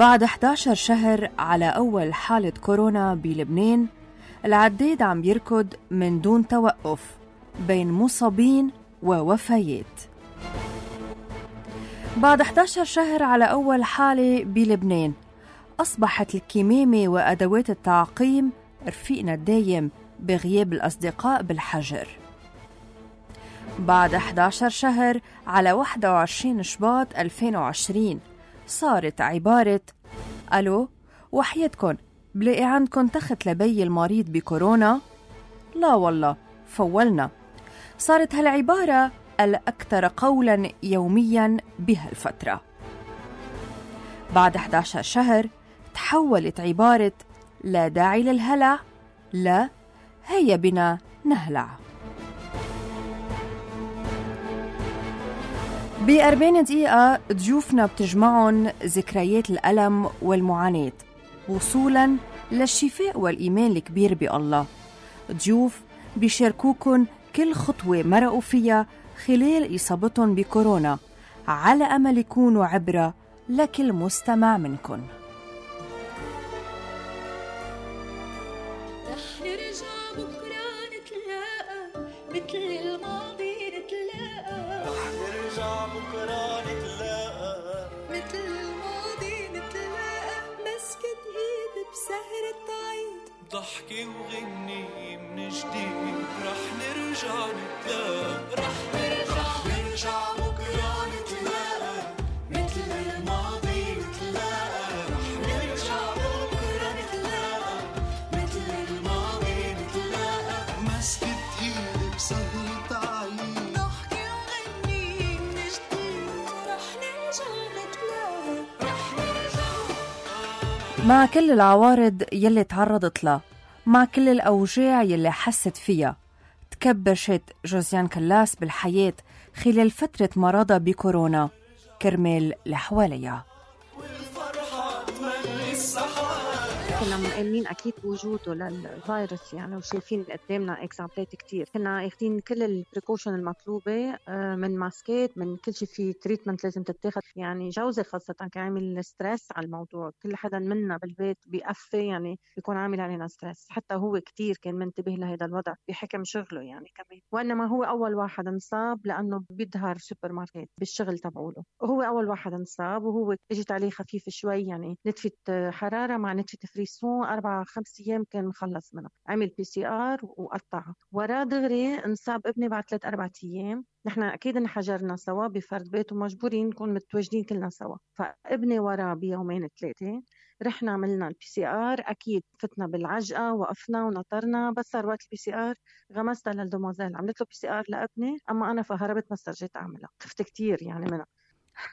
بعد 11 شهر على أول حالة كورونا بلبنان، العداد عم بيركض من دون توقف بين مصابين ووفيات. بعد 11 شهر على أول حالة بلبنان، أصبحت الكمامة وأدوات التعقيم رفيقنا الدايم بغياب الأصدقاء بالحجر. بعد 11 شهر على 21 شباط 2020، صارت عبارة ألو وحياتكن بلاقي عندكن تخت لبي المريض بكورونا؟ لا والله فولنا. صارت هالعبارة الأكثر قولاً يومياً بهالفترة. بعد 11 شهر تحولت عبارة لا داعي للهلع، لا هيا بنا نهلع. ب40 دقيقة ضيوفنا بتجمعهم ذكريات الألم والمعاناة وصولاً للشفاء والإيمان الكبير بالله. ضيوف بيشاركوكن كل خطوة مرقوا فيها خلال إصابتهم بكورونا، على أمل يكونوا عبرة لكل مستمع منكن. رح نرجع بكرة نتلاقى مثل الماضي نتلاقى، رح نرجع بكرة نتلاقى مثل الماضي نتلاقى، مسكت ايد بسهرة عيد ضحكي وغني من جديد، رح نرجع نتلاقى، رح نرجع بكرة نتلاقى مثل الماضي نتلاقى، رح نرجع بكرة نتلاقى مثل الماضي نتلاقى، مسكت ايد بسهرة عيد ضحكي وغني من جديد، رح نرجع نتلاقى، رح نرجع. مع كل العوارض يلي تعرضت لها، مع كل الأوجاع يلي حست فيها، تكبشت جوزيان كلاس بالحياة خلال فترة مرضها بكورونا كرمال لحواليها. كنا مؤمنين أكيد بوجوده للفيروس يعني، وشايفين قدامنا إكزامبلات كتير. كنا اخدين كل البريكوشن المطلوبة، من ماسكات، من كل شيء، في تريتمنت لازم تتاخد. يعني جوزي خاصة كان عامل ستريس على الموضوع، كل حدا منا بالبيت بيقفي يعني بيكون عامل علينا ستريس. حتى هو كتير كان منتبه لهذا الوضع بحكم شغله يعني كمان. وإنما هو أول واحد انصاب لأنه بيظهر سوبر ماركت بالشغل تبعوله، وهو أول واحد انصاب، وهو اجت عليه خفيف شوي يعني، نتفة حرارة مع نتفة فريسون 4-5 أيام كان مخلص منها. عمل PCR وقطعها، وراه دغري انصاب ابني بعد 3-4 أيام. نحن أكيد انحجرنا سوا بفرد بيت ومجبورين نكون متواجدين كلنا سوا، فابني وراه بيومين 3 رحنا عملنا PCR. أكيد فتنا بالعجقة، وقفنا ونطرنا، بس صار وقت PCR غمستها للدوموزيل عملت له PCR لابني، أما أنا فهربت ما استرجيت أعملها، خفت كتير يعني منها.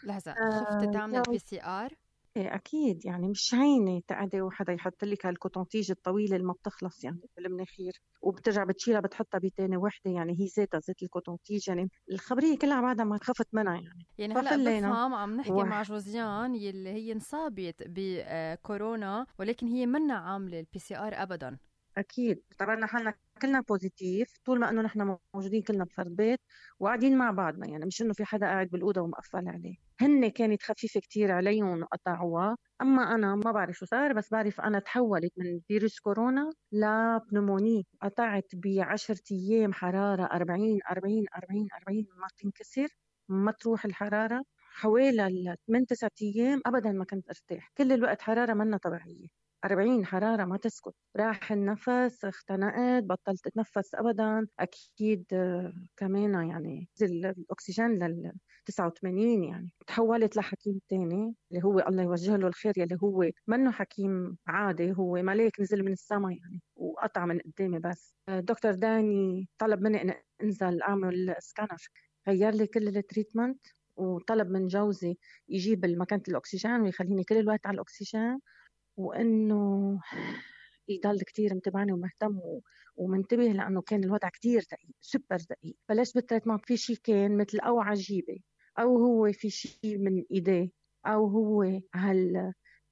لحظة، خفت تعمل PCR؟ إيه أكيد يعني مش هينة تقعدي وحدا يحط لك هالكوتونتيج الطويلة اللي ما بتخلص يعني بالمناخير، وبترجع بتشيلها بتحطها بتاني وحدة، يعني هي ذاتها ذات الكوتونتيج يعني الخبرية كلها بعدها ما خفت منها يعني هلأ بفهم عم نحكي مع جوزيان يلي هي انصابت بكورونا ولكن هي منا عاملة PCR أبدا. أكيد اعتبرنا حالنا كلنا بوزيتيف طول ما إنه نحن موجودين كلنا بفرد بيت وقاعدين مع بعضنا، يعني مش إنه في حدا قاعد بالأوضة ومقفل عليه. هن كانت خفيفة كتير عليهم وقطعوها، أما أنا ما بعرف شو صار، بس بعرف أنا تحولت من فيروس كورونا لبنوموني. قطعت ب10 أيام حرارة 40 ما تنكسر، ما تروح الحرارة. حوالي 8-9 أيام أبدا ما كنت أرتاح، كل الوقت حرارة منا طبيعية، 40 حرارة ما تسكت. راح النفس، اختنقت، بطلت اتنفس أبدا. أكيد كمان يعني نزل الأكسجين 89 يعني. تحولت لحكيم تاني اللي هو الله يوجه له الخير، يلي هو منه حكيم عادي، هو ملاك نزل من السماء يعني وقطع من قدامي. بس دكتور داني طلب مني أن أنزل أعمل سكانر، غير لي كل التريتمنت، وطلب من جوزي يجيب مكانة الأكسجين ويخليني كل الوقت على الأكسجين، وإنه يضل كتير متابعني ومهتم ومنتبه، لأنه كان الوضع كتير دقيق، سوبر دقيق. بلشت بالتريتمنت، في شي كان مثل أو عجيبة، أو هو في شي من إيديه، أو هو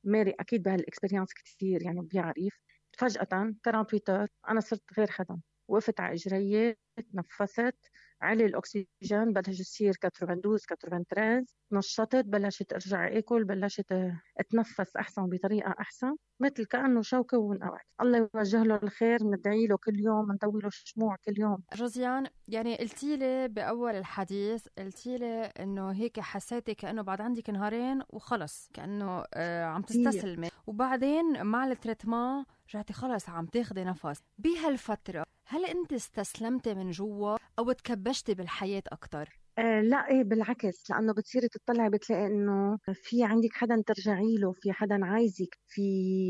ماري أكيد بهالإكسبريانس كتير يعني بيعرف. فجأة 48 أنا صرت غير حدا، وقفت على إجريي، تنفست، علي الأكسجين بلش يصير 92 93، نشطت، بلشت أرجع أكل، بلشت أتنفس أحسن بطريقة أحسن، مثل كأنه شوكة وانقطعت. الله يوجه له الخير، ندعي له كل يوم، ندوي له شموع كل يوم. جوزيان، يعني قلتي لي بأول الحديث، قلتي لي إنه هيك حسيتي كأنه بعد عندك نهارين وخلص، كأنه عم تستسلمي، وبعدين مع التريتمان رجعتي خلص عم تاخدي نفس. بهالفترة هل أنت استسلمتي من جوا أو تكبشتي بالحياة أكتر؟ لا، ايه بالعكس، لانه بتصيري تطلعي بتلاقي انه في عندك حدا ترجعي له، في حدا عايزك، في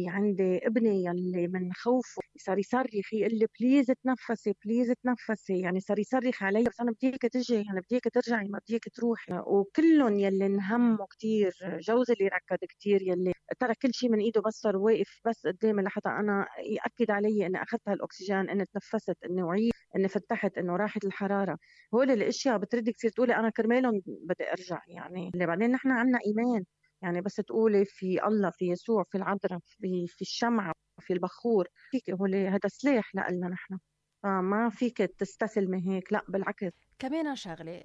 عندي ابني يلي من خوفه صار يصرخ يقول لي بليز تنفسي بليز تنفسي، يعني صار يصرخ علي بس انا بديك تجي، يعني بديك ترجعي ما بديك تروحي. وكلهم يلي انهموا كتير، جوزي اللي ركض كتير، يلي ترى كل شيء من ايده، بس صار واقف بس قدامي لحتى انا ياكد علي اني اخذت هالاكسجين، اني تنفست، اني وعيت، اني فتحت، انه راحت الحراره. هول الاشياء بتردي كثير تقولي انا كرمالهم بدي ارجع، يعني اللي بعدين نحن عنا ايمان، يعني بس تقولي في الله، في يسوع، في العذراء، في الشمعة، في البخور، فيك هول هذا سلاح لنا نحن، فما فيك تستسلمي هيك، لا بالعكس. كمان شغلة،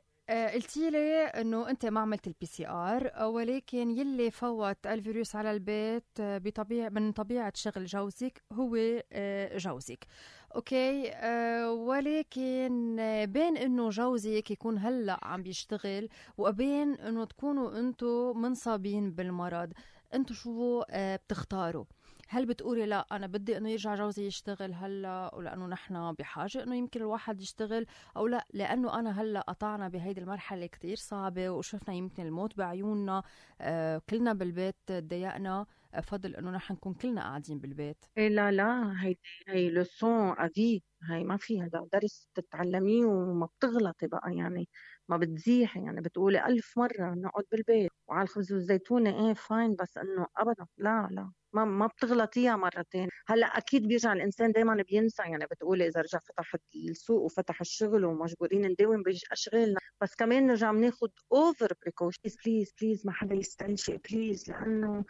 قلتي لي انه انت ما عملت الPCR، ولكن يلي فوت الفيروس على البيت من طبيعة شغل جوزك هو جوزك. اوكي، ولكن بين انه جوزك يكون هلا عم بيشتغل وبين انه تكونوا انتو منصابين بالمرض، انتو شو بتختاروا؟ هل بتقولي لا أنا بدي إنه يرجع جوزي يشتغل هلا، ولأنه نحن بحاجة إنه يمكن الواحد يشتغل، أو لا لأنه أنا هلا قطعنا بهيدي المرحلة كتير صعبة وشفنا يمكن الموت بعيوننا، كلنا بالبيت تضايقنا، فضل إنه نحن نكون كلنا قاعدين بالبيت؟ إيه لا لا، هي لسون أدي، هي ما في، هذا درس تتعلميه وما بتغلطي بقى، يعني ما بتزيحي، يعني بتقولي ألف مرة نقعد بالبيت وعلى الخبز والزيتونة ايه فاين، بس انه ابدا لا لا، ما بتغلطيها مرتين. هلا اكيد بيرجع الانسان دائما بينسى، يعني بتقولي اذا رجع فتح السوق وفتح الشغل ومجبورين نداوم باشغالنا، بس كمان نرجع بناخذ اوفر بريكوشن. بليز بليز ما حدا يستنشق بليز، لانه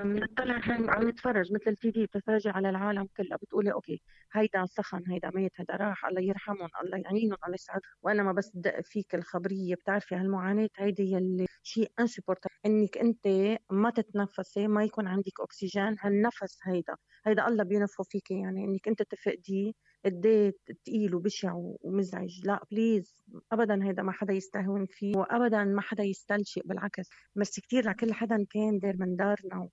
بنطلع عم نتفرج مثل الTV، بتتفرجي على العالم كلها بتقولي اوكي هيدا سخن، هيدا مات، هيدا راح، الله يرحمهم، الله يعينهم، الله يسعدهم، وانا ما بس بدق فيك الخبريه. بتعرفي هالمعاناه هيدي يلي شيء انسبورت، انك انت ما تتنفسي، ما يكون عندك اكسجين، هالنفس هيدا الله بينفخ فيك، يعني انك انت تفقديه قد ثقيل وبشع ومزعج. لا بليز ابدا، هيدا ما حدا يستهون فيه، وابدا ما حدا يستلشق، بالعكس. ميرسي كتير لكل حدا كان دار من دارنا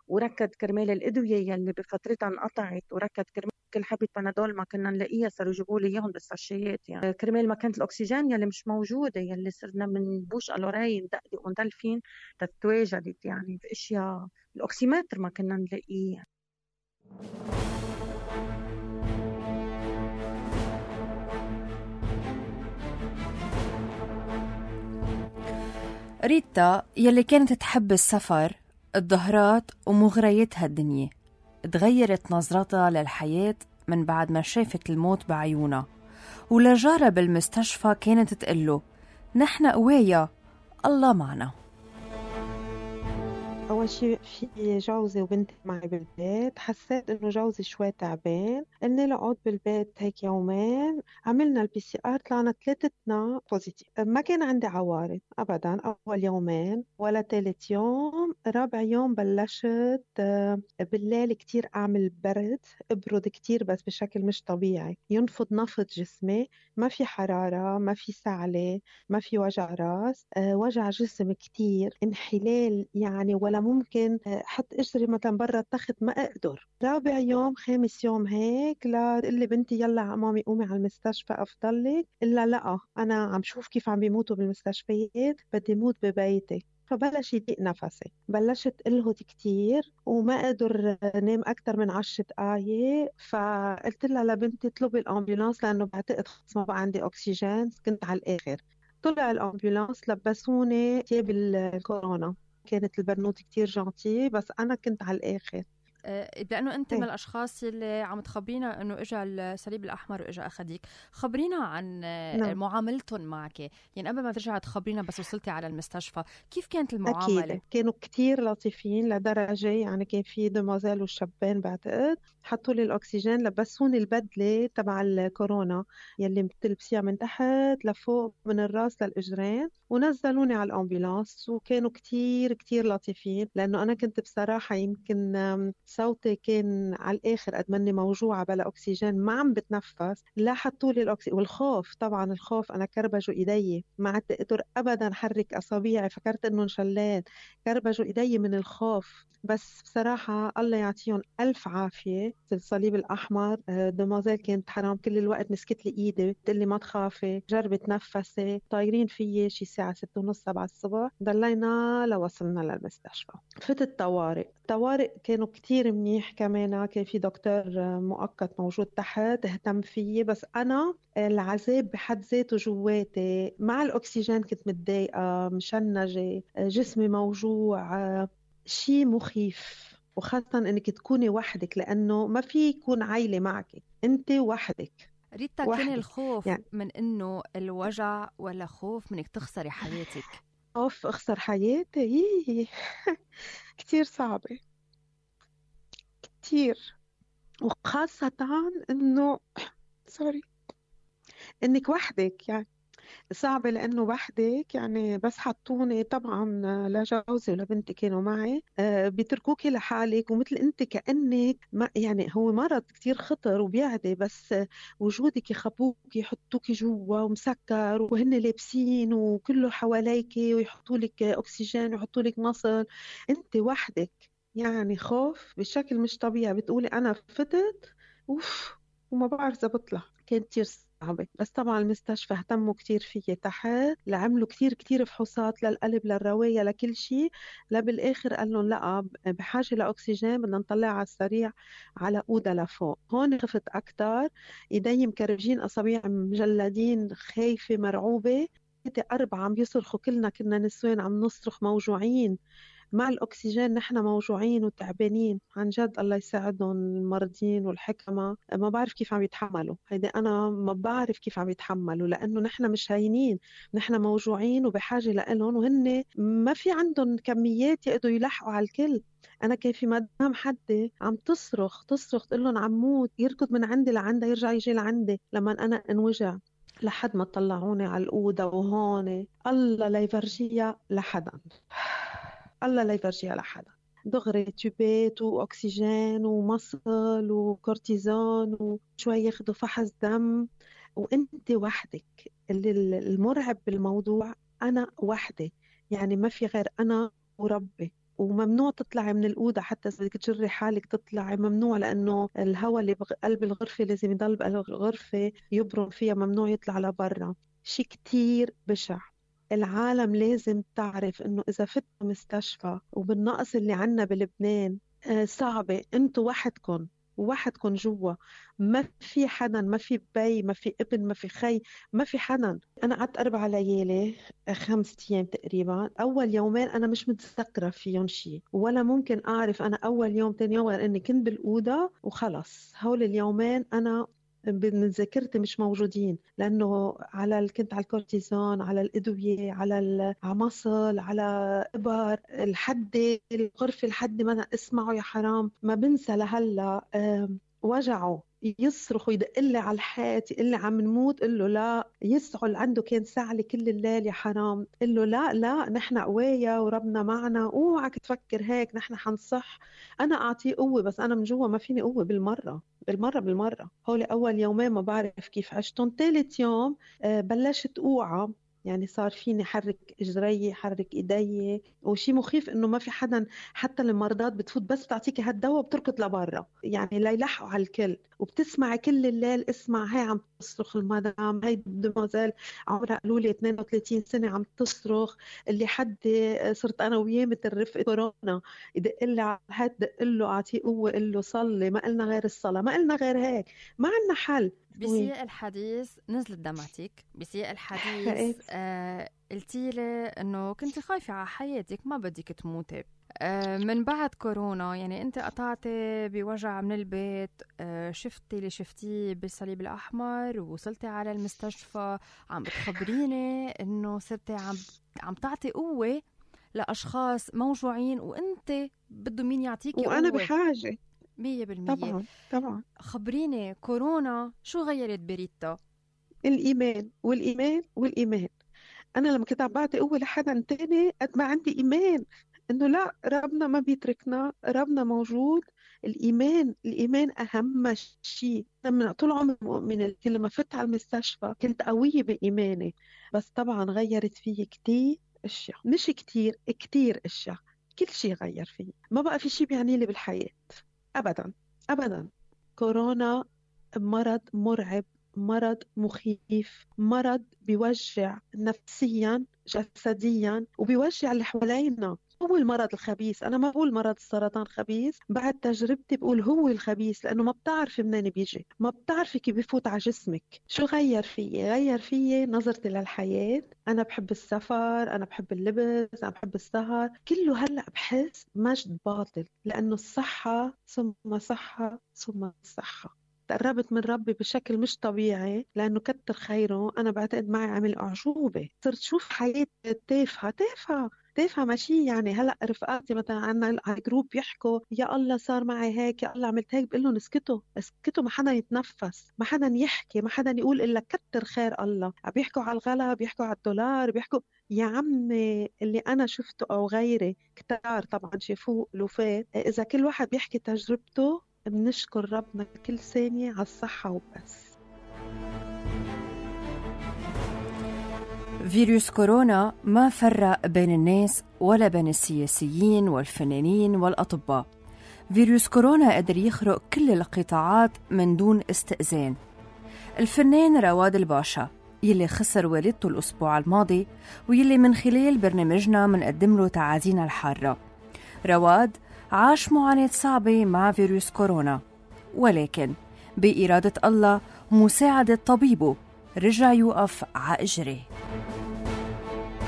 وركض كرمال الادويه يلي بفترتها انقطعت، وركض كرمال كل حبة بنادول ما كنا نلاقيها صاروا يجيبوا لي اياهم بالساشيات، يعني كرمال ما كانت الاكسجين يلي مش موجوده، يلي صرنا من بوش الوراي ندقدق وندلفين تتواجدت، يعني في اشياء الاوكسيمتر ما كنا نلاقيه. ريتا يلي كانت تحب السفر، الظهرات ومغريات هالدنيا، تغيرت نظرتها للحياة من بعد ما شافت الموت بعيونها، ولجارة بالمستشفى كانت تقله نحن قوايا، الله معنا. أول شي في جوزي وبنتي معي بالبيت، حسيت إنه جوزي شوي تعبان، قلنا له اقعد بالبيت هيك يومين. عملنا الPCR طلعنا ثلاثتنا بوزيتيف، ما كان عندي عوارض أبدا أول يومين ولا ثالث يوم. رابع يوم بلشت بالليل كتير أعمل أبرد كتير بس بشكل مش طبيعي، ينفض نفض جسمي، ما في حرارة، ما في سعلة، ما في وجع راس، وجع جسم كتير، انحلال يعني، ولا ممكن حط اجري مثلا برا التخت ما اقدر. رابع يوم خامس يوم هيك لا تقول لي بنتي يلا مامي قومي على المستشفى افضل لك، الا لا انا عم شوف كيف عم بيموتوا بالمستشفيات، بدي موت ببيتي. فبلش يضيق نفسي، بلشت الهد كتير وما اقدر نام اكثر من 10 دقائق. فقلت لها لبنتي اطلبي الامبولانس لانه بعتقد خلص ما بقى عندي اكسجين، كنت على الاخر. طلع الامبولانس، لبسوني ثياب الكورونا، كانت البنوت كتير جانتي بس أنا كنت على الآخر. لأنه أنت إيه. من الأشخاص اللي عم تخبرينا أنه إجا الصليب الأحمر وإجا أخديك. خبرينا عن نعم. معاملتهم معك، يعني قبل ما ترجعي تخبرينا بس وصلتي على المستشفى كيف كانت المعاملة؟ أكيد كانوا كتير لطيفين لدرجة يعني كان في دموزيل وشابين بعتقد حطوا لي الأكسجين، لبسوني البدلة تبع الكورونا يلي بتلبسيها من تحت لفوق من الراس للإجرين، ونزلوني على الأمبولانس. وكانوا كتير كتير لطيفين لأنه أنا كنت بصراحة يمكن صوتي كان على الآخر قد مني موجوعة بلا أكسجين ما عم بتنفس. لا حطوا لي الأكسجين، والخوف طبعا الخوف، أنا كربجوا إيدي ما عدت أقدر أبدا حرك أصابيعي، فكرت إنه انشلات، كربجوا إيدي من الخوف. بس بصراحة الله يعطيهم ألف عافية الصليب الأحمر. دموزيل كانت حرام كل الوقت مسكت لي إيدي بتقول لي ما تخافي جربي تنفسي، طايرين فيي شي ساعة 6:30 7 الصبح، ضلينا لوصلنا للمستشفى. فتت الطوارئ كانوا كتير منيح كمان، كان في دكتور مؤقت موجود تحت اهتم فيي. بس أنا العذاب بحد ذاته جواتي مع الأكسجين كنت متضايقة مشنجة، جسمي موجوع، شيء مخيف. وخاصة انك تكوني وحدك لانه ما في يكون عائلة معك، انت وحدك. ريتا، كان وحدك الخوف يعني من انه الوجع ولا خوف منك تخسري حياتك؟ خوف اخسر حياتي كتير صعبة كتير، وخاصة انه سوري انك وحدك، يعني صعبة لأنه وحدك. يعني بس حطوني طبعا لجوزي ولبنتي كانوا معي، بيتركوكي لحالك ومثل أنت كأنك ما يعني هو مرض كتير خطر وبيعدي، بس وجودك يخبوك يحطوك جوا ومسكر وهن لابسين وكله حواليك ويحطوا لك أكسجين ويحطوا لك مصل، أنت وحدك. يعني خوف بشكل مش طبيعي، بتقولي أنا فتت أوف وما بعرف إذا بطلع. كانت كتير صعبة. بس طبعا المستشفى اهتموا كتير فيي تحت، لعملوا كتير فحوصات للقلب للرواية لكل شيء، بالآخر قال لهم لا بحاجة لأكسجين بدنا نطلع على السريع على أوضة لفوق. هون خفت أكتر، إيدي مكرجين، أصابيع مجلدين، خايفة مرعوبة. 4 عم بيصرخوا، كلنا كنا نسوان عم نصرخ موجوعين مع الأكسجين، نحن موجوعين وتعبانين عن جد. الله يساعدهم المرضين والحكمة، ما بعرف كيف عم يتحملوا. هيدا أنا ما بعرف كيف عم يتحملوا لأنه نحن مش هينين، نحن موجوعين وبحاجة لإلهم، وهن ما في عندهم كميات يقدروا يلحقوا على الكل. أنا كان في مدام حدي عم تصرخ تقول لهم عم موت، يركض من عندي لعندها يرجع يجي لعندي لما أنا انوجع، لحد ما طلعوني على الأوضة. وهون الله لا يفرجيها لحدا، الله لا يفرجيها لحدا. دغري تيوبات وأكسجين ومصل وكورتيزون وشوي ياخدوا فحص دم، وانت وحدك. المرعب بالموضوع أنا وحدي، يعني ما في غير أنا وربي. وممنوع تطلعي من الأوضة حتى إذا بدك تجري حالك تطلعي، ممنوع، لأنه الهواء اللي بقلب الغرفة لازم يضل بقلب الغرفة يبرم فيها، ممنوع يطلع لبرا. شيء كتير بشع. العالم لازم تعرف إنه إذا فت مستشفى وبالنقص اللي عنا بلبنان صعبة، أنتوا وحدكن جوا، ما في حدا، ما في بي، ما في ابن، ما في خي، ما في حدا. أنا قعدت 4 ليالي 5 أيام تقريبا. أول يومين أنا مش متذكرة فيهم شيء، ولا ممكن أعرف أنا أول يوم تاني يوم، غير إني كنت بالأوضة وخلص. هول اليومين أنا من ذاكرتي مش موجودين، لأنه كنت على الكورتيزون، على الأدوية، على العمصل، على إبر الحدي الغرفة الحدي، ما اسمعوا يا حرام ما بنسى لهلا. وجعه يصرخ ويدق لي على الحيط يقول لي عم نموت، قل له لا. يسعل عنده كان سعلي كل الليل يا حرام، قل له لا نحن قوية وربنا معنا، اوعك تفكر هيك، نحن حنصح. أنا أعطيه قوة بس أنا من جوا ما فيني قوة بالمرة. هولي أول يومين ما بعرف كيف عشتهم. ثالث يوم بلشت أوعى، يعني صار فيني حرك اجري حرك ايدي. وشي مخيف انه ما في حدا، حتى المرضات بتفوت بس تعطيكي هالدواء بتركض لبرا، يعني لا يلحقوا على الكل. وبتسمعي كل الليل، اسمع هاي عم تصرخ المدام، هاي دموزيل عمرها قالوا لي 32 سنه عم تصرخ، اللي حد صرت انا وياه مثل رفقه كورونا، يدق لي على الحد دق له اعطيه قوه، قل له صلي، ما قلنا غير الصلاه، ما قلنا غير هيك، ما عندنا حل. بسياق الحديث نزلت دمعتك، بسياق الحديث قلتي لي انه كنت خايفة على حياتك، ما بدك تموتي. من بعد كورونا يعني أنت قطعتي بوجع من البيت، شفتي اللي شفتيه بالصليب الأحمر ووصلتي على المستشفى، عم بتخبريني إنه صرتي عم تعطي قوة لأشخاص موجوعين وأنت بده مين يعطيكي قوة، وأنا بحاجة 100%. طبعا. خبريني كورونا شو غيرت بريتا؟ الإيمان. أنا لما كنت عم بعطي قوة لحدا تاني قد ما عندي إيمان إنه لا، ربنا ما بيتركنا، ربنا موجود. الإيمان أهم شيء. أنا من طول عمري مؤمنة، لما فت على المستشفى كنت قوية بإيماني، بس طبعا غيرت فيي كتير أشياء، مش كتير أشياء، كل شيء غير فيي. ما بقى في شيء بيعني لي بالحياة أبدا. كورونا مرض مرعب، مرض مخيف، مرض بيوجع نفسيا جسديا وبيوجع اللي حوالينا. هو المرض الخبيث. أنا ما بقول مرض السرطان خبيث، بعد تجربتي بقول هو الخبيث، لأنه ما بتعرفي منين بيجي، ما بتعرفي كيف بيفوت على جسمك. شو غير فيي نظرتي للحياة. أنا بحب السفر، أنا بحب اللبس، أنا بحب السهر، كله هلأ بحس مجد باطل، لأنه الصحة ثم صحة ثم صحة. تقربت من ربي بشكل مش طبيعي، لأنه كتر خيره أنا بعتقد معي عمل أعجوبة. صرت شوف حياة تافهة ماشي. يعني هلأ رفقاتي مثلا عنا على جروب بيحكوا يا الله صار معي هيك، يا الله عملت هيك، بقول لهم اسكتوا، ما حدا يتنفس، ما حدا يحكي، ما حدا يقول إلا كتر خير الله. عم بيحكوا على الغلا، بيحكوا على الدولار، بيحكوا يا عمي اللي أنا شفته أو غيري كتار طبعا شافوه لوفات. إذا كل واحد بيحكي تجربته بنشكر ربنا كل ثانية على الصحة وبس. فيروس كورونا ما فرق بين الناس ولا بين السياسيين والفنانين والأطباء. فيروس كورونا قدر يخرق كل القطاعات من دون استئذان. الفنان رواد الباشا يلي خسر والدته الأسبوع الماضي، ويلي من خلال برنامجنا منقدم له تعازينا الحارة. رواد عاش معاناة صعبة مع فيروس كورونا، ولكن بإرادة الله مساعدة طبيبه رجع يوقف على إجريه.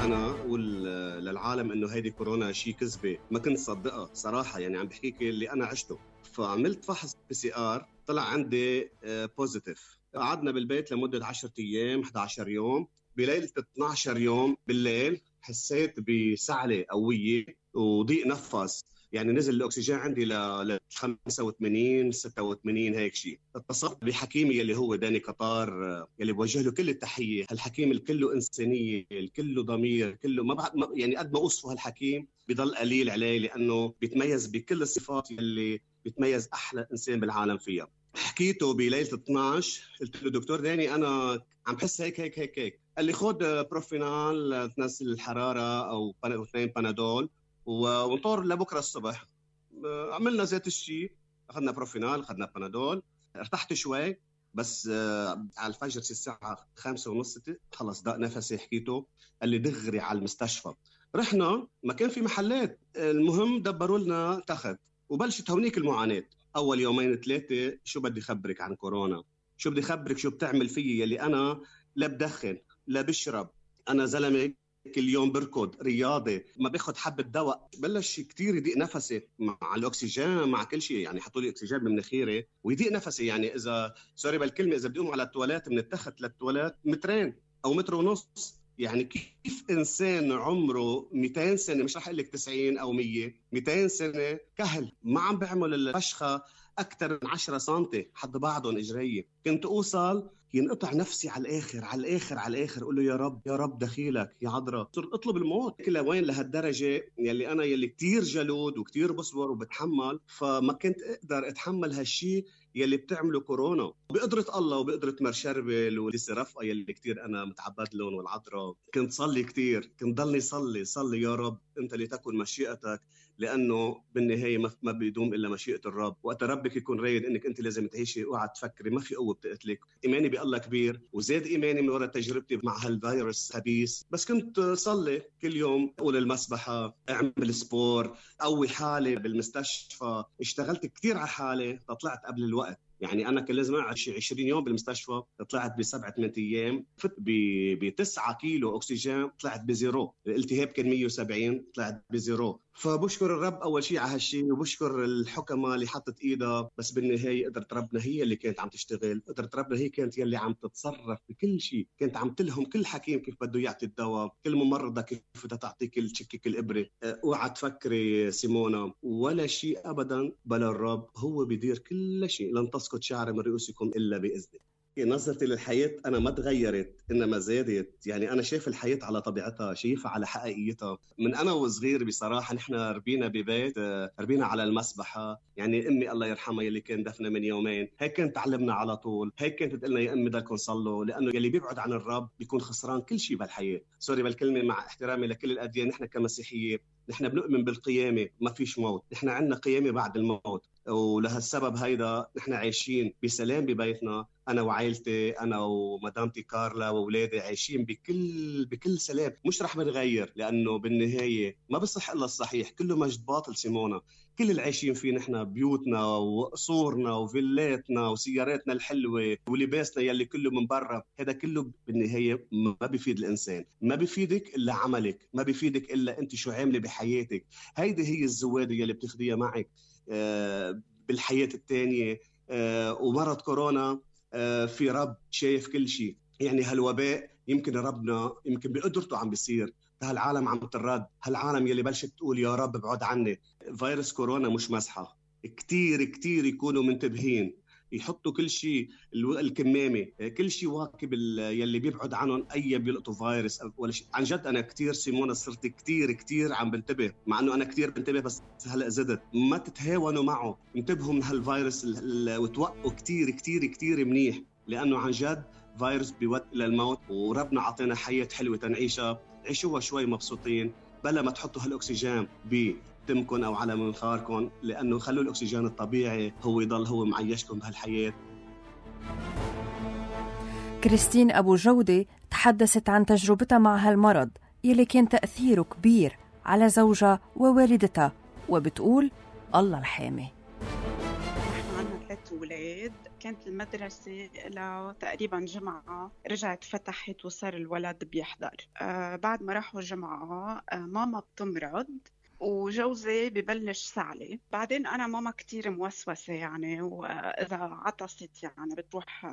أنا أقول للعالم إنه هيدي كورونا شيء كذبة، ما كنت صدقها صراحة. يعني عم بحكيك اللي أنا عشته. فعملت فحص PCR طلع عندي بوزيتيف. قعدنا بالبيت لمدة 10 أيام 11 يوم. بليلة 12 يوم بالليل حسيت بسعلة قوية وضيق نفس، يعني نزل الأكسجين عندي ل 85 86 هيك شيء. اتصلت بحكيمي اللي هو داني قطار، اللي بوجه له كل التحية. هالحكيم الكله إنسانية، الكله ضمير، كله ما يعني قد ما أوصفه هالحكيم بضل قليل عليه، لأنه بيتميز بكل الصفات اللي بيتميز أحلى إنسان بالعالم فيها. حكيته بليلة 12، قلت له دكتور داني أنا عم بحس هيك. قال لي خد بروفينال تنزل الحرارة أو 2 بانادول ونطور لبكرة الصبح. عملنا ذات الشيء، أخذنا بروفينال، أخذنا بانادول، ارتحت شوي. بس على الفجر الساعة 5:30 خلص ضاق نفسي. حكيته قال لي دغري على المستشفى. رحنا، ما كان في محلات، المهم دبروا لنا تخت وبلشت هونيك المعاناة. أول 2-3 يوم شو بدي خبرك عن كورونا، شو بدي خبرك شو بتعمل فيي، يلي أنا لا بدخن لا بشرب، أنا زلمة كل يوم بركض رياضي، ما باخد حبة دواء. بلش كتير يضيق نفسي مع الأكسجين، مع كل شيء. يعني حطوا لي أكسجين بمناخيري ويضيق نفسي. يعني إذا سوري بالكلمة، إذا بدي أقوم على التواليت من التخت للتواليت 2 متر أو 1.5 متر. يعني كيف إنسان عمره 200 سنة، مش رح أقول لك 90 أو 100، 200 سنة كهل ما عم بعمل الفشخة أكثر من 10 سنتي حد بعضهم إجريه. كنت أوصل ينقطع نفسي على الآخر. أقول له يا رب دخيلك يا عذراء. صرت أطلب الموت. كلها وين لهالدرجة يلي كتير جلود وكتير بصبر وبتحمل، فما كنت أقدر أتحمل هالشي يلي بتعمله كورونا. بقدرة الله وبقدرة مرشربل ولسه رفقة يلي كتير أنا متعبد لهم والعذراء، كنت صلي كتير، كنت ضلني صلي يا رب أنت لتكن مشيئتك، لأنه بالنهاية ما بيدوم إلا مشيئة الرب. وقت ربك يكون رايد إنك أنت لازم تعيشي، اوعى تفكري ما في قوة بتقتلك. إيماني بالله كبير، وزاد إيماني من وراء تجربتي مع هالفيروس خبيث. بس كنت صلي كل يوم، أقول المسبحة، أعمل سبور، قوي حالي بالمستشفى. اشتغلت كتير على حالي، طلعت قبل الوقت. يعني أنا كان لازم أقعد 20 يوم بالمستشفى، طلعت ب7-8 أيام. فت ب9 كيلو أكسجين، طلعت بزيرو. الالتهاب كان 170، طلعت بزيرو. فبشكر الرب أول شيء على هالشيء، وبشكر الحكماء اللي حطت إيدها. بس بالنهاية قدرة ربنا هي اللي كانت عم تشتغل، قدرة ربنا هي كانت يلي عم تتصرف بكل شيء، كانت عم تلهم كل حكيم كيف بده يعطي الدواء، كل ممرضة كيف بدها تعطيك تشكك الإبرة. اوعى تفكري سيمونا ولا شيء أبدا بلا الرب، هو بيدير كل شيء. لن تسقط شعرة من رؤوسكم إلا بإذنه. نظرتي للحياة أنا ما تغيرت إنما زادت. يعني أنا شايف الحياة على طبيعتها، شايفها على حقيقيتها. من أنا وصغير بصراحة نحن ربينا ببيت، ربينا على المسبحة. يعني أمي الله يرحمها يلي كان دفنة من يومين هيك كانت تعلمنا على طول، هيك كانت تقلنا يا أمي بدكم صلوا، لأنه يلي بيبعد عن الرب بيكون خسران كل شيء بالحياة. سوري بالكلمة مع احترامي لكل الأديان، نحن كمسيحية نحن بنؤمن بالقيامة، ما فيش موت، نحن عندنا قيامة بعد الموت. ولهالسبب هيدا نحن عايشين بسلام ببيتنا، أنا وعائلتي، أنا ومدامتي كارلا وأولادي عايشين بكل سلام. مش رح بنغير، لأنه بالنهاية ما بصح إلا الصحيح، كله مجد باطل سيمونا. كل اللي عايشين فيه نحن بيوتنا وقصورنا وفيلاتنا وسياراتنا الحلوة ولباسنا يلي كله من برا، هذا كله بالنهاية ما بيفيد الإنسان. ما بيفيدك إلا عملك، ما بيفيدك إلا أنت شو عاملة بحياتك. هيدي هي الزوادة يلي بتاخديها معك بالحياة التانية. ومرض كورونا في رب شايف كل شيء. يعني هالوباء يمكن ربنا يمكن بقدرته عم بيصير، هالعالم عم ترد، هالعالم يلي بلشت تقول يا رب ابعد عني. فيروس كورونا مش مزحة، كتير كتير يكونوا منتبهين، يحطوا كل شيء، الكمامة، كل شيء واكب يلي بيبعد عنهم أي بيلقطوا فيروس ولا شيء. عن جد أنا كتير سيمونا صرت كتير عم بنتبه، مع أنه أنا كتير بنتبه بس هلأ زدت. ما تتهاونوا معه، انتبهوا من هالفيروس وتوقوا كتير منيح، لأنه عن جد فيروس بيودي إلى الموت. وربنا عطينا حياة حلوة تنعيشها، عيشوها شوي مبسوطين، بلا ما تحطوا هالأكسجين تمكن أو على منخاركم، لأنه خلوا الأكسجين الطبيعي هو يضل هو معيشكم بهالحياة. كريستين أبو جودة تحدثت عن تجربتها مع هالمرض يلي كان تأثيره كبير على زوجها ووالدتها، وبتقول الله الحامي. نحن عنا 3 أولاد، كانت المدرسة لها تقريبا جمعة رجعت فتحت وصار الولد بيحضر. بعد ما راحوا جمعة ماما بتمرض وجوزي ببلش سعلي. بعدين أنا ماما كتير موسوسة يعني، وإذا عطست يعني بتروح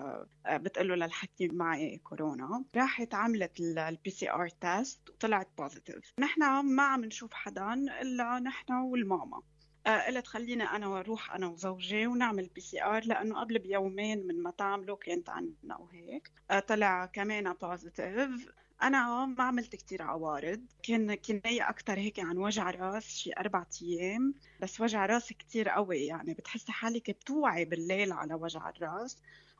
بتقله للحكيم معي كورونا. راحت عملت الPCR تيست وطلعت بوزيتيف. نحن ما عم نشوف حدا إلا نحن والماما. قلت خلينا أنا أروح أنا وزوجي ونعمل PCR، لأنه قبل بيومين من ما تعمله كانت عندنا وهيك. طلع كمان بوزيتيف. أنا ما عملت كتير عوارض، كان كناية أكتر هيك عن وجع راس شي 4 أيام، بس وجع راس كتير قوي، يعني بتحسي حالك بتوعي بالليل على وجع الراس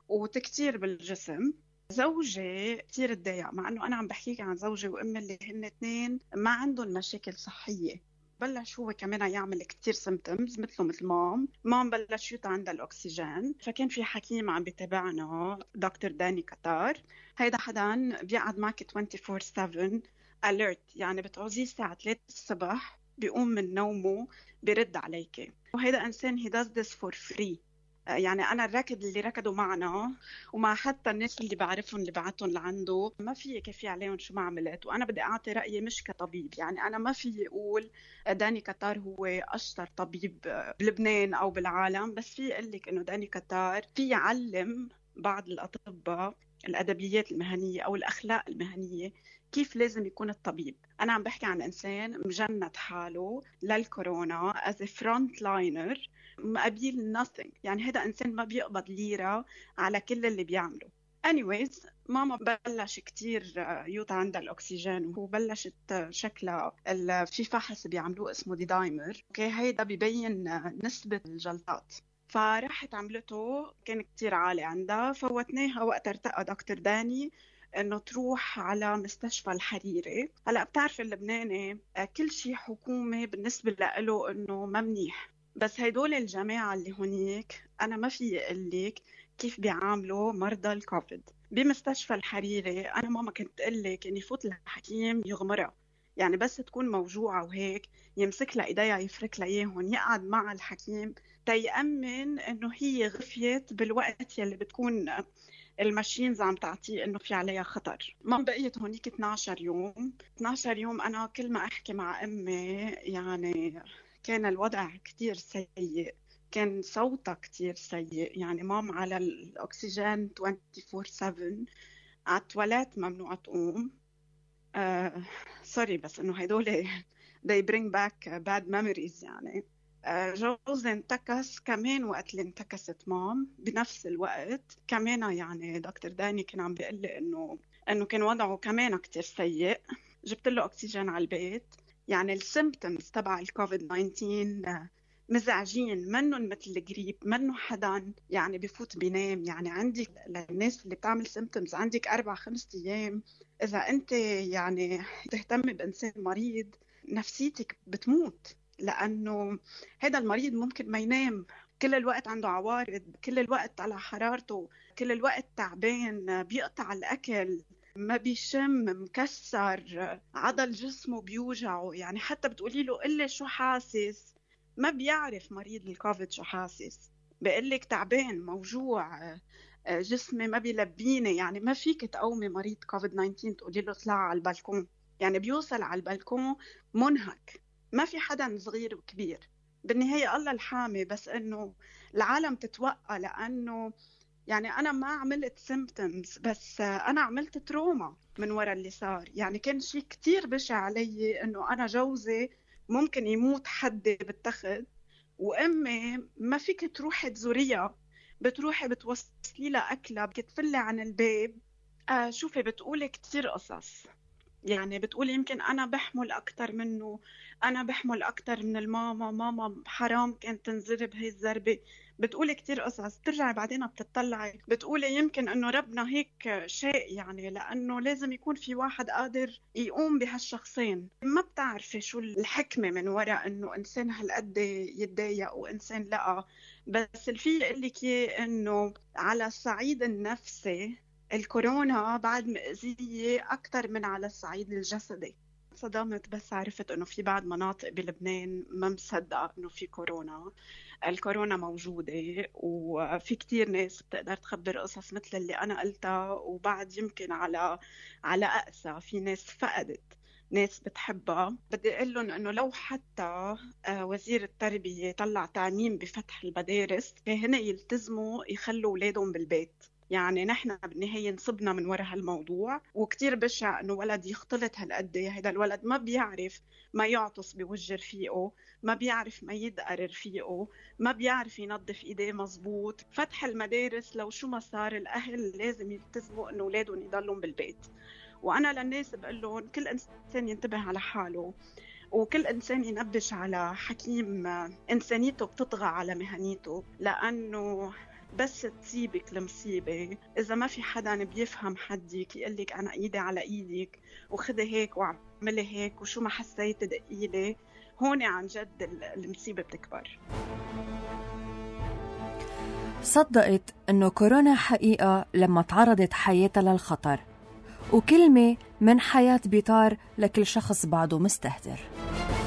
وتكتير بالجسم. زوجي كتير اتضايق، مع أنه أنا عم بحكيك عن زوجي وأمي اللي هن 2 ما عندهم مشاكل صحية. بلش هو كمان يعمل كتير سيمتومز مثل مام بلش يوطى عندها الأكسجين. فكان في حكيم عم بيتابعنا دكتور داني كتار. هيدا حدا بيقعد معك 24/7 alert، يعني بتعوزيه الساعة 3 الصبح بيقوم من نومه بيرد عليك. وهيدا إنسان he does this for free. يعني أنا الركض اللي ركضوا معنا ومع حتى الناس اللي بعرفهم اللي بعتهم لعنده ما في كفي عليهم شو ما عملت. وأنا بدي أعطي رأيي مش كطبيب، يعني أنا ما في أقول داني كتار هو أشطر طبيب بلبنان أو بالعالم، بس في أقولك إنه داني كتار في يعلم بعض الأطباء الأدبيات المهنية أو الأخلاق المهنية كيف لازم يكون الطبيب. أنا عم بحكي عن إنسان مجند حاله للكورونا as a frontliner مقابل nothing، يعني هذا إنسان ما بيقبض ليرة على كل اللي بيعمله. anyways ماما بلش كتير يوطى عندها الأكسجين، وبلشت شكلها في فحص بيعملوه اسمه دي دايمر، اوكي هيدا بيبين نسبة الجلطات. فرحت عملته كان كتير عالي عندها، فوتناها وقت ارتقى دكتور داني انه تروح على مستشفى الحريري. هلا بتعرف اللبناني كل شيء حكومي بالنسبة له انه ما منيح، بس هيدول الجماعة اللي هنيك أنا ما في أقلك كيف بيعاملوا مرضى الكوفيد. بمستشفى الحريري أنا ماما كنت تقلك إن يفوت الحكيم يغمرها، يعني بس تكون موجوعة وهيك يمسك لها إيديها يفرك لها إياهم، يقعد مع الحكيم تيأمن إنه هي غفيت بالوقت يلي بتكون الماشينز عم تعطيه إنه في عليها خطر. ما بقيت هونيك 12 يوم. 12 يوم أنا كل ما أحكي مع أمي يعني كان الوضع كتير سيء، كان صوتها كتير سيء، يعني مام على الأكسجين 24/7، على التواليت ممنوع تقوم. سوري بس إنه هيدول they bring back bad memories يعني. جوزي انتكس كمان وقت اللي انتكست مام بنفس الوقت كمان. يعني دكتور داني كان عم بيقول لي إنه كان وضعه كمان كتير سيء. جبت له أكسجين على البيت. يعني السيمبتومز تبع الكوفيد 19 مزعجين، منهم مثل الجريب، منه حدا يعني بفوت بينام. يعني عندك للناس اللي بتعمل سيمبتومز عندك 4-5 أيام إذا أنت يعني تهتمي بإنسان مريض نفسيتك بتموت، لأنه هذا المريض ممكن ما ينام، كل الوقت عنده عوارض، كل الوقت على حرارته، كل الوقت تعبان، بيقطع الأكل، ما بيشم، مكسر، عضل جسمه بيوجعه. يعني حتى بتقولي له قلي شو حاسس، ما بيعرف مريض الكوفيد شو حاسس، بيقلك تعبان، موجوع، جسمي ما بيلبيني. يعني ما فيك تقومي مريض كوفيد 19 تقولي له اطلع على البلكون، يعني بيوصل على البلكون منهك. ما في حدا صغير وكبير، بالنهاية الله الحامي، بس إنه العالم تتوقع. لأنه يعني أنا ما عملت سيمبتومز، بس أنا عملت تروما من وراء اللي صار. يعني كان شيء كتير بشع علي إنه أنا جوزي ممكن يموت حدي بالتخت، وأمي ما فيك تروحي تزوريها، بتروحي بتوصلي لها أكلها، بتتفلي عن الباب. شوفي بتقولي كتير قصص، يعني بتقولي يمكن أنا بحمل أكتر منه، أنا بحمل أكتر من الماما، ماما حرام كانت تنزرب هاي الزربة. بتقولي كتير قصص. بترجعي بعدين بتطلعي بتقولي يمكن إنه ربنا هيك شيء، يعني لأنه لازم يكون في واحد قادر يقوم بهالشخصين. ما بتعرفي شو الحكمة من وراء إنه إنسان هالقد يتضايق وإنسان لأ. بس الفي يقلك إنه على الصعيد النفسي الكورونا بعد مأذية أكتر من على الصعيد الجسدي. صدمت بس عرفت إنه في بعض مناطق بلبنان ما مصدقة إنه في كورونا. الكورونا موجودة، وفي كتير ناس بتقدر تخبر قصص مثل اللي أنا قلتها، وبعد يمكن على أقسى في ناس فقدت ناس بتحبها. بدي أقول لهم إنه لو حتى وزير التربية طلع تعميم بفتح المدارس، هن يلتزموا يخلوا أولادهم بالبيت. يعني نحن بالنهاية نصبنا من وراء هالموضوع، وكتير بشع إنه ولد يختلط هالقد. هيدا الولد ما بيعرف ما يعطس بوجه رفيقه، ما بيعرف ما يدقر رفيقه، ما بيعرف ينظف إيديه مزبوط. فتح المدارس لو شو ما صار الأهل لازم يلتزموا إنه أولادهم يضلون بالبيت. وأنا للناس بقول لهم كل إنسان ينتبه على حاله، وكل إنسان ينبش على حكيم إنسانيته بتطغى على مهنيته. لأنه بس تصيبك المصيبة إذا ما في حدا بيفهم حدك يقلك أنا إيدي على إيدك وخذي هيك وعملي هيك وشو ما حسيت دقيلي، هون عن جد المصيبة بتكبر. صدقت إنه كورونا حقيقة لما تعرضت حياتها للخطر، وكلمة من حياة بيطار لكل شخص بعده مستهتر.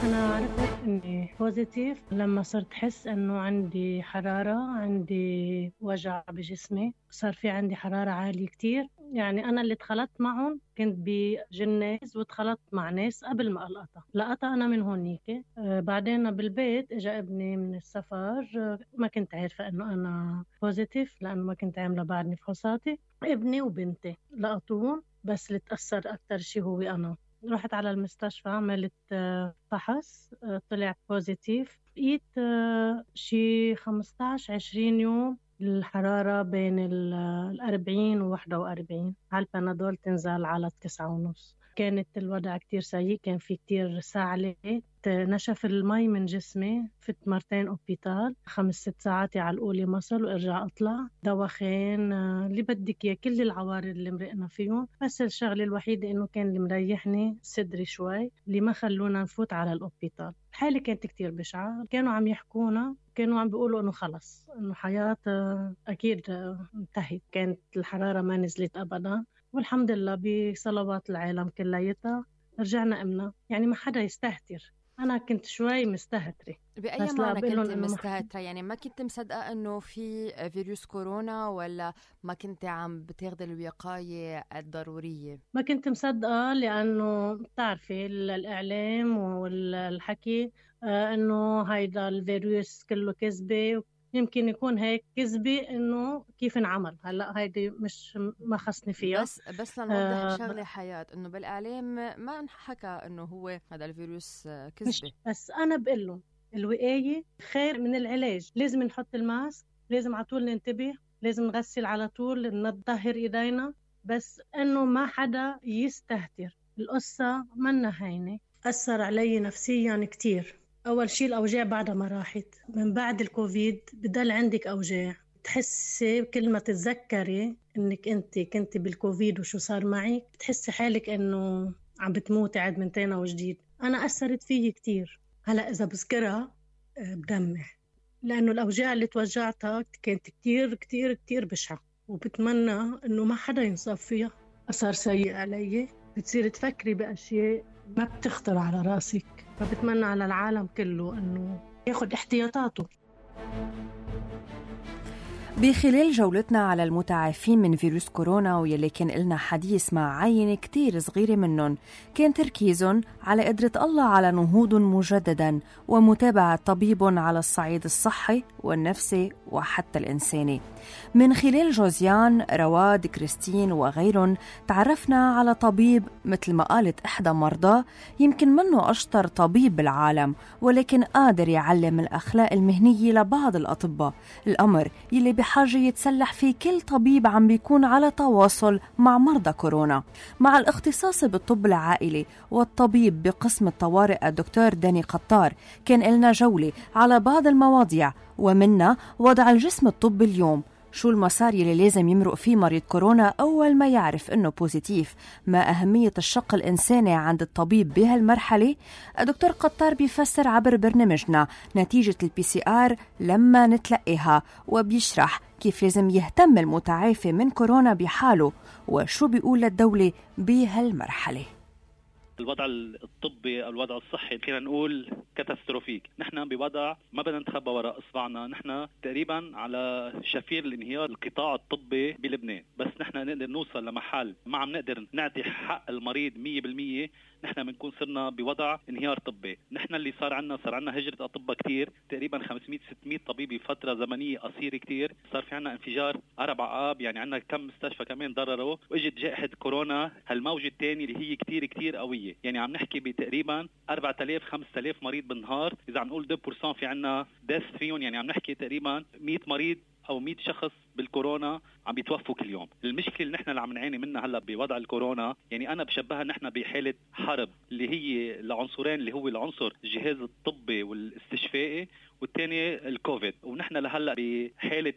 أنا عرفت إني بوزيتيف لما صرت حس إنه عندي حرارة، عندي وجع بجسمي، صار في عندي حرارة عالية كتير. يعني أنا اللي اتخلطت معهم كنت بجناز واتخلطت مع ناس قبل ما لقطها أنا من هونيك. بعدين بالبيت إجا ابني من السفر، ما كنت عارفة إنه أنا بوزيتيف لأنه ما كنت عاملة بعدني فحوصاتي. ابني وبنتي لقطوهم، بس اللي تأثر أكتر شي هو أنا. رحت على المستشفى، عملت فحص، طلعت بوزيتيف. بقيت شي 15-20 يوم الحرارة بين 40 و41، على البنادول تنزل على 9.5. كانت الوضع كتير سيء، كان في كتير سعلة، نشف المي من جسمي، فت مرتين أوبيتال، 5-6 ساعات على الأولى مصل وارجع أطلع، دوخين، اللي بدك إياه، كل العوارض اللي مرقنا فيهم. بس الشغلة الوحيدة إنه كان اللي مريحني صدري شوي، اللي ما خلونا نفوت على الأوبيتال. الحالة كانت كتير بشعة، كانوا عم يحكونا، كانوا عم بيقولوا إنه خلص إنه حياة أكيد انتهت. كانت الحرارة ما نزلت أبدا، والحمد لله بصلوات العالم كليتها رجعنا أمنا. يعني ما حدا يستهتر، أنا كنت شوي مستهترة. بأي بس معنى لا بقولن كنت إنه مستهترة؟ يعني ما كنت مصدقة إنه في فيروس كورونا، ولا ما كنت عم بتاخدي الوقاية الضرورية؟ ما كنت مصدقة لأنه بتعرفي الإعلام والحكي إنه هيدا الفيروس كله كذبة. يمكن يكون هيك كذبة إنه كيف انعمل. هلأ هيدي مش ما خصني فيها. بس لنوضح شغلة حياة، إنه بالإعلام ما انحكى إنه هو هذا الفيروس كذبة. بس أنا بقول لهم الوقاية خير من العلاج. لازم نحط الماسك، لازم على طول ننتبه، لازم نغسل على طول، نطهر إيدينا، بس إنه ما حدا يستهتر. القصة منا هينة. أثر علي نفسيا كتير. أول شيء الأوجاع بعدها ما راحت. من بعد الكوفيد بدل عندك أوجاع، تحسي كل ما تتذكري إنك أنت كنت بالكوفيد وشو صار معك، تحسي حالك إنه عم بتموتي عاد من تاني وجديد. أنا أثرت فيي كتير. هلأ إذا بذكرها بدمع، لأنه الأوجاع اللي توجعتها كانت كتير كتير كتير بشعة، وبتمنى إنه ما حدا ينصاب فيها. أثر سيء علي. بتصير تفكري بأشياء ما بتخطر على راسك. فبتمنى على العالم كله إنه ياخد احتياطاته. بخلال جولتنا على المتعافين من فيروس كورونا ويلي كان لنا حديث مع عينة كتير صغيرة منهم، كان تركيزهم على قدرة الله على نهوض مجددا ومتابعة طبيب على الصعيد الصحي والنفسي وحتى الإنساني. من خلال جوزيان، رواد، كريستين وغيرهم تعرفنا على طبيب مثل ما قالت إحدى مرضاه يمكن منه أشطر طبيب بالعالم، ولكن قادر يعلم الأخلاق المهنية لبعض الأطباء، الأمر يلي بحاجة يتسلح فيه كل طبيب عم بيكون على تواصل مع مرضى كورونا. مع الاختصاص بالطب العائلي والطبيب بقسم الطوارئ الدكتور داني قطار، كان لنا جولة على بعض المواضيع، ومنها وضع الجسم الطبي اليوم، شو المسار يلي لازم يمرق فيه مريض كورونا أول ما يعرف إنه بوزيتيف، ما أهمية الشق الإنساني عند الطبيب بهالمرحلة. الدكتور قطار بيفسر عبر برنامجنا نتيجة الPCR لما نتلقيها، وبيشرح كيف لازم يهتم المتعافي من كورونا بحاله وشو بيقول للدولة بهالمرحلة. الوضع الطبي أو الوضع الصحي فينا نقول كاتاستروفيك. نحن بوضع ما بدنا نتخبى وراء إصبعنا، نحن تقريبا على شفير الانهيار القطاع الطبي بلبنان. بس نحن نقدر نوصل لمحل ما عم نقدر نعطي حق المريض 100%، نحن بنكون صرنا بوضع انهيار طبي. نحن اللي صار عنا هجرة أطباء كتير، تقريبا 500-600 طبيب بفترة زمنية قصيرة كتير. صار في عنا انفجار 4 آب، يعني عنا كم مستشفى كمان ضرروا، واجت جائحة كورونا هالموجة الثانية اللي هي كتير كتير قوية. يعني عم نحكي بتقريبا 4000-5000 مريض بالنهار. إذا عم نقول 2% في عنا ديث فيهم، يعني عم نحكي تقريبا 100 مريض أو 100 شخص بالكورونا عم بيتوفوا كل يوم. المشكلة اللي نحن اللي عم نعاني منها هلا بوضع الكورونا، يعني أنا بشبهها نحن بحالة حرب اللي هي العنصرين، اللي هو العنصر الجهاز الطبي والاستشفائي، والثاني الكوفيد. ونحن لهلا بحالة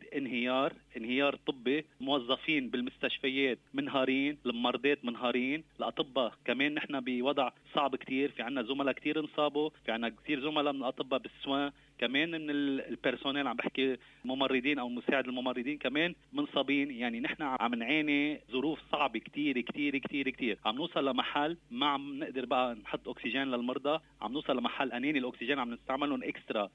انهيار طبي. موظفين بالمستشفيات منهارين، المرضات منهارين، الأطباء كمان نحن بوضع صعب كتير. في عنا زملاء كتير انصابوا، في عنا كتير زملاء من الأطباء بالسوان، كمان من البيرسونيل عم بحكي ممرضين أو مساعد الممرضين كمان منصابين. يعني نحن عم نعاني ظروف صعبة كتير كتير كتير كتير. عم نوصل لمحل ما عم نقدر بقى نحط أكسجين للمرضى، عم نوصل لمحل أناني الأكسجين عم نستعملهم إكسترا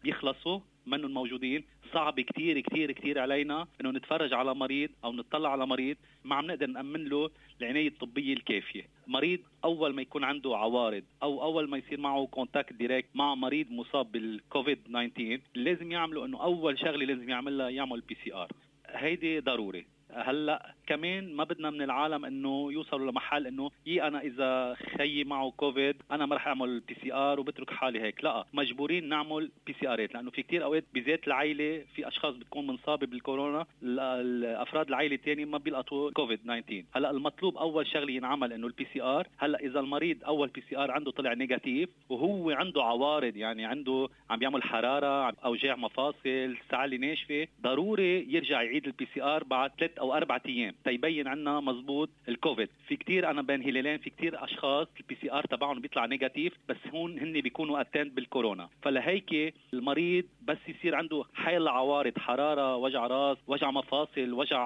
بيخلصوا منهم موجودين. صعب كتير كتير كتير علينا انه نتفرج على مريض او نطلع على مريض ما عم نقدر نأمن له العناية الطبية الكافية. مريض اول ما يكون عنده عوارض او اول ما يصير معه كونتاكت دايركت مع مريض مصاب بالكوفيد 19، لازم يعملوا انه اول شغلة لازم يعملها يعمل PCR. هيدي ضروري. هلا كمان ما بدنا من العالم انه يوصلوا لمحل انه انا اذا خيي معه كوفيد انا ما رح اعمل PCR وبترك حالي هيك. لا، مجبورين نعمل PCRات، لانه في كتير اوقات بذات العائله في اشخاص بتكون منصابه بالكورونا، الافراد العائله الثاني ما بيلقطوا كوفيد 19. هلا المطلوب اول شغله ينعمل انه الPCR. هلا اذا المريض اول PCR عنده طلع نيجاتيف وهو عنده عوارض، يعني عنده عم بيعمل حراره، اوجاع مفاصل، سعاله ناشفه، ضروري يرجع يعيد الPCR بعد 3 أو 4 أيام تيبين عنا مزبوط الكوفيد. في كتير أنا بين هلالين في كتير أشخاص الPCR تبعهم بيطلع نيجاتيف بس هن بيكونوا أتند بالكورونا. فلهيك المريض بس يصير عنده حيل عوارض، حرارة، وجع راس، وجع مفاصل، وجع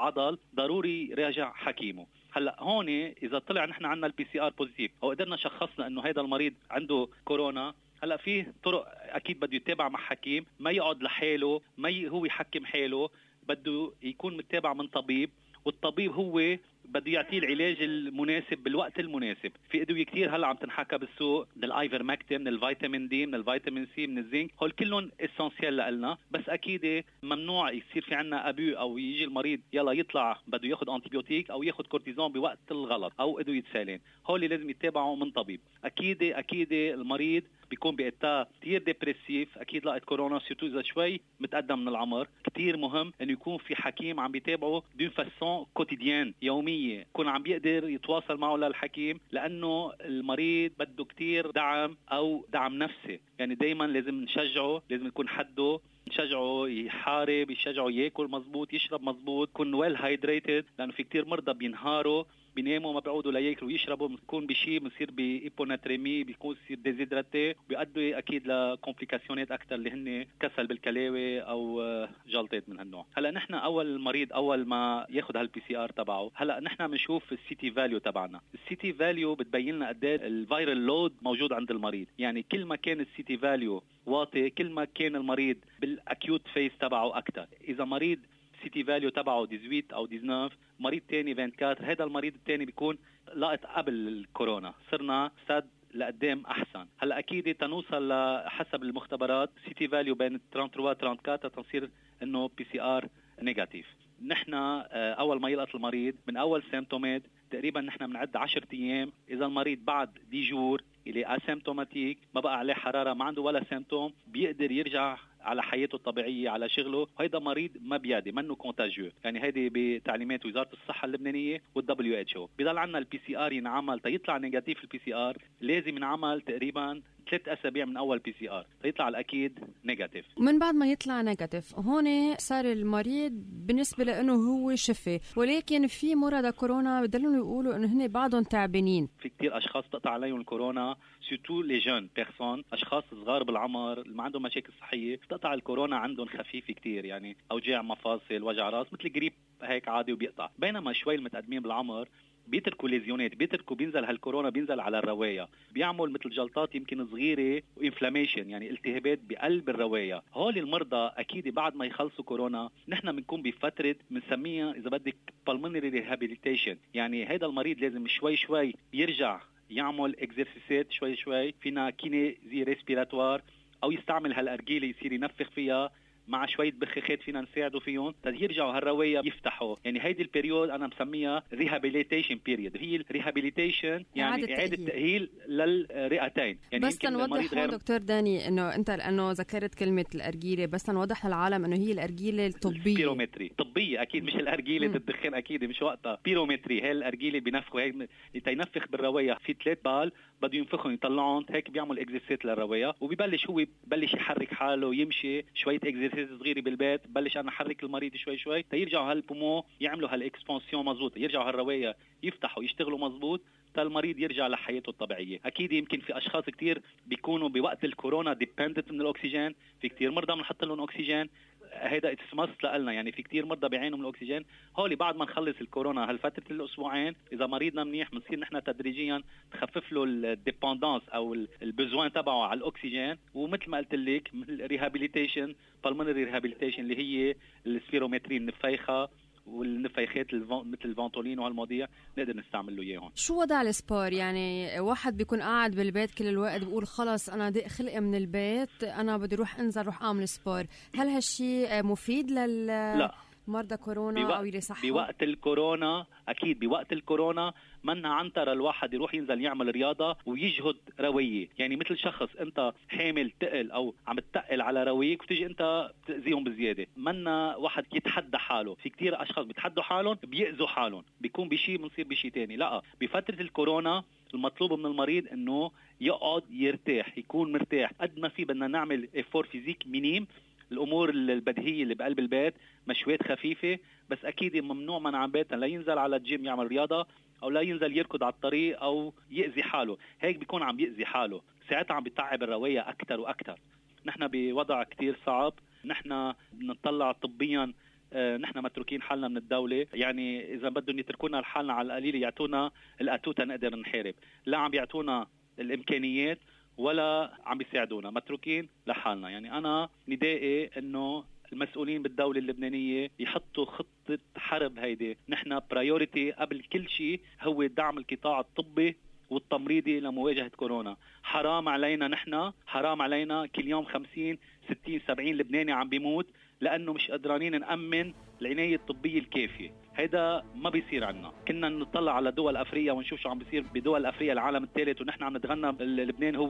عضل، ضروري يراجع حكيمه. هلا هون اذا طلع نحن عندنا الPCR بوزيتيف او قدرنا شخصنا انه هذا المريض عنده كورونا، هلا في طرق اكيد بده يتابع مع حكيم، ما يقعد لحاله، ما هو يحكم حاله، بده يكون متابع من طبيب، والطبيب هو بده يعطيه العلاج المناسب بالوقت المناسب. في ادويه كثير هلا عم تنحكى بالسوق، من الايفرمكتين، من الفيتامين دي، من الفيتامين سي، من الزنك، هول كلهم اسينسيال لنا. بس اكيد ممنوع يصير في عنا ابو او يجي المريض يلا يطلع بده ياخذ انتيبيوتيك او ياخذ كورتيزون بوقت الغلط او ادويه سالين. هول لازم يتابعوا من طبيب. اكيد المريض بيكون بإتا كتير ديبريسيف، أكيد لقيت كورونا سيرتو إذا شوي متقدم من العمر. كتير مهم إنه يكون في حكيم عم بيتابعه دون فاسون كوتيديان، يومية، يكون عم بيقدر يتواصل معه للحكيم، لأنه المريض بده كتير دعم أو دعم نفسي. يعني دايما لازم نشجعه، لازم يكون حده، نشجعه يحارب، يشجعه ياكل مزبوط، يشرب مزبوط، يكون ويل هايدريتد، لأنه في كتير مرضى بينهاروا، بيناموا ما بيعودوا لياكلوا ويشربوا، بيكون بشيء بصير بإيبوناتريمي، بيكون يصير ديزيدراتي، بيؤدي اكيد لكومبليكاسيونات اكثر اللي هن كسل بالكلاوي او جلطات من هالنوع. هلا نحن اول مريض اول ما ياخذ هالPCR تبعه، هلا نحن بنشوف الCT فاليو تبعنا. الCT فاليو بتبين لنا قد ايه الفيرال لود موجود عند المريض. يعني كل ما كان الCT فاليو واطي كل ما كان المريض بالاكيوت فيز تبعه اكثر. اذا مريض CT فاليو تبعه 18 او 19، مريض تاني 24، هذا المريض التاني بيكون لقط قبل الكورونا، صرنا سد لقدام احسن. هلا اكيد تنوصل لحسب المختبرات CT فاليو بين 33 34 تنصير انه PCR نيجاتيف. نحن اول ما يلقط المريض من اول سيمتومات تقريبا نحن بنعد 10 ايام. اذا المريض بعد دي جور اللي اسيمتوماتيك، ما بقى عليه حراره، ما عنده ولا سيمتوم، بيقدر يرجع على حياته الطبيعيه، على شغله. وهيدا مريض ما بيادي، منه كونتاجيو. يعني هيدي بتعليمات وزاره الصحه اللبنانيه والWHO. بضل عندنا الPCR ينعمل تيطلع نيجاتيف. الPCR لازم ينعمل تقريبا 3 أسابيع من أول PCR يطلع الأكيد نيجاتيف. من بعد ما يطلع نيجاتيف هون صار المريض بالنسبة لأنه هو شفي، ولكن في مرضى كورونا بدلون يقولوا أنه هن بعضهم تعبانين. في كتير أشخاص تقطع عليهم الكورونا، سيرتو لي جون بيرسون، أشخاص صغار بالعمر اللي ما عندهم مشاكل صحية، تقطع الكورونا عندهم خفيفة كتير، يعني أوجاع مفاصل، وجع راس، مثل جريب هيك عادي وبيقطع. بينما شوي المتقدمين بالعمر بيتركوا ليزيونات، بينزل هالكورونا بينزل على الرواية، بيعمل مثل جلطات يمكن صغيرة وإنفلاميشن، يعني التهابات بقلب الرواية. هول المرضى أكيد بعد ما يخلصوا كورونا نحن بنكون بفترة بنسميها إذا بدك pulmonary rehabilitation. يعني هذا المريض لازم شوي يرجع يعمل اكزرسيسات شوي، فينا كينيزي ريسبيراتوار، أو يستعمل هالأرجيلة يصير ينفخ فيها مع شوية بخاخات فينا نساعده فيهم يرجعوا هالرواية يفتحوا. يعني هيدي البريود أنا مسميها rehabilitation period. هي الريهابيليتيشن يعني إعادة تأهيل للرئتين. يعني بس تنوضح دكتور داني إنه أنت لأنه ذكرت كلمة الأرجيلة، بس نوضح للعالم إنه هي الأرجيلة الطبية، بيرومتري طبية أكيد، مش الأرجيلة الدخان أكيد مش وقتها. بيرومتري هي الأرجيلة بينفخوا هيك ينفخ بالرواية في 3 بال بده ينفخهم يطلعون هيك، بيعمل اكزرسيس للرواية، وبيبلش هو ببلش يحرك حاله، يمشي شوية اكزرسيس صغيرة بالبيت، ببلش أنا أحرك المريض شوي تيرجعوا هالبومو يعملوا هالاكسبانسيون مزبوط، يرجعوا هالرواية يفتحوا يشتغلوا مزبوط المريض يرجع لحياته الطبيعية. أكيد يمكن في أشخاص كتير بيكونوا بوقت الكورونا ديبندنت من الأكسجين، في كتير مرضى بنحط لهم أكسجين، هيدا اتسمس لنا. يعني في كتير مرضى بيعانوا من الأكسجين. هولي بعد ما نخلص الكورونا هالفترة الأسبوعين إذا مريضنا منيح بنصير نحن تدريجيا تخفف له الديبندانس أو البزوان تبعه على الأكسجين. ومثل ما قلت لك الريهابيليتيشن pulmonary rehabilitation اللي هي السبيرومتري، النفيخة والنفيخات مثل الفانتولين وهالمواضيع نقدر نستعمل له اياهم. شو وضع السبور؟ يعني واحد بيكون قاعد بالبيت كل الوقت بيقول خلص انا ضيق خلقي من البيت، انا بدي اروح انزل روح اعمل سبور، هل هالشيء مفيد لا مرضى كورونا او يصحوا؟ بوقت الكورونا اكيد بوقت الكورونا منا عنتر الواحد يروح ينزل يعمل رياضه ويجهد رويه. يعني مثل شخص انت حامل تقل او عم تتقل على رويك وتيجي انت بتاذيهم بزياده، منا واحد يتحدى حاله. في كتير اشخاص بيتحدوا حالهم بيأذوا حالهم، بيكون بشيء بنصير بشيء تاني. لا بفتره الكورونا المطلوب من المريض انه يقعد يرتاح، يكون مرتاح قد ما في. بدنا نعمل افور فيزيك مينيم الأمور البديهية اللي بقلب البيت، مشويات خفيفة، بس أكيد ممنوع منع بيتنا لا ينزل على الجيم يعمل رياضة أو لا ينزل يركض على الطريق أو يأذي حاله. هيك بيكون عم يأذي حاله، ساعتها عم بيتعب الرواية أكتر وأكتر. نحن بوضع كتير صعب، نحن بنطلع طبيا، نحن متروكين حالنا من الدولة. يعني إذا بدهم يتركونا لحالنا على القليل يعطونا الأتوتة نقدر نحارب، لا عم بيعطونا الإمكانيات ولا عم بيساعدونا، متروكين لحالنا. يعني أنا ندائي إنه المسؤولين بالدولة اللبنانية يحطوا خطة حرب. هيدي نحن برايوريتي قبل كل شيء هو دعم القطاع الطبي والتمريضي لمواجهة كورونا. حرام علينا، نحن حرام علينا كل يوم 50 60 70 لبناني عم بيموت لأنه مش قدرانين نأمن العناية الطبية الكافية. هيدا ما بيصير عنا. كنا نطلع على دول أفريقيا ونشوف شو عم بيصير بدول أفريقيا العالم الثالث، ونحن عم نتغنى لبنان هو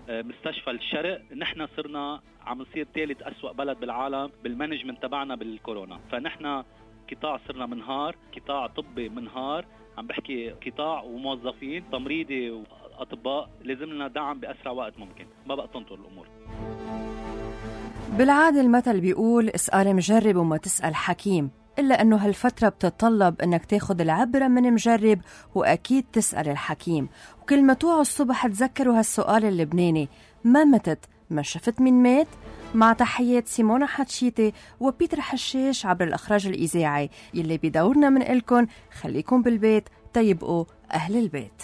مستشفى الشرق. نحن صرنا عم نصير ثالث أسوأ بلد بالعالم بالمانجمنت تبعنا بالكورونا. فنحن قطاع صرنا منهار، قطاع طبي منهار، عم بحكي قطاع وموظفين تمريضي وأطباء. لازم لنا دعم بأسرع وقت ممكن، ما بقى تنطر الأمور. بالعادة المثل بيقول اسأل مجرب وما تسأل حكيم، إلا أنه هالفترة بتتطلب أنك تاخد العبرة من مجرب وأكيد تسأل الحكيم. وكل ما توعوا الصبح تذكروا هالسؤال اللبناني: ما متت ما شفت من مات؟ مع تحيات سيمونا حتشيتي وبيتر حشاش عبر الإخراج الإذاعي، يلي بدورنا من إلكن خليكم بالبيت تيبقوا أهل البيت.